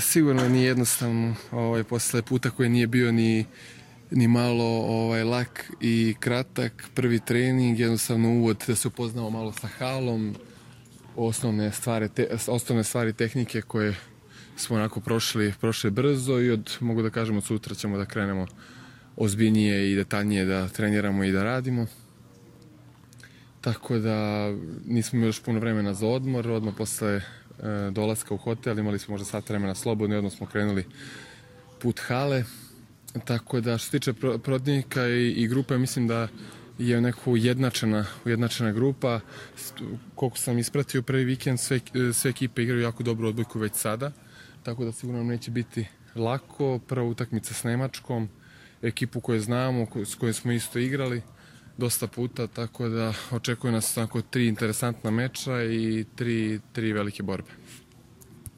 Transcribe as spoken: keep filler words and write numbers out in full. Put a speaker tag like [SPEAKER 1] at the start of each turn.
[SPEAKER 1] Sigurno nije jednostavno, ovaj, posle puta koji nije bio ni, ni malo ovaj, lak i kratak, prvi trening, jednostavno uvod da se upoznamo malo sa halom, osnovne stvari, te, osnovne stvari tehnike koje smo onako prošli, prošli brzo i od, mogu da kažem, od sutra ćemo da krenemo ozbiljnije i detaljnije da treniramo i da radimo. Tako da nismo imali još puno vremena za odmor, odmah posle e, dolaska u hotel imali smo možda sat vremena slobodno i odmah smo krenuli put hale. Tako da što se tiče protivnika i, i grupe, mislim da je neko ujednačena, ujednačena grupa. Koliko sam ispratio prvi vikend, sve, sve ekipe igraju jako dobru odbojku već sada, tako da sigurno nam neće biti lako. Prva utakmica s Nemačkom, ekipu koju znamo, s kojom smo isto igrali dosta puta, tako da očekuje nas tako tri interesantna meča i tri, tri velike borbe.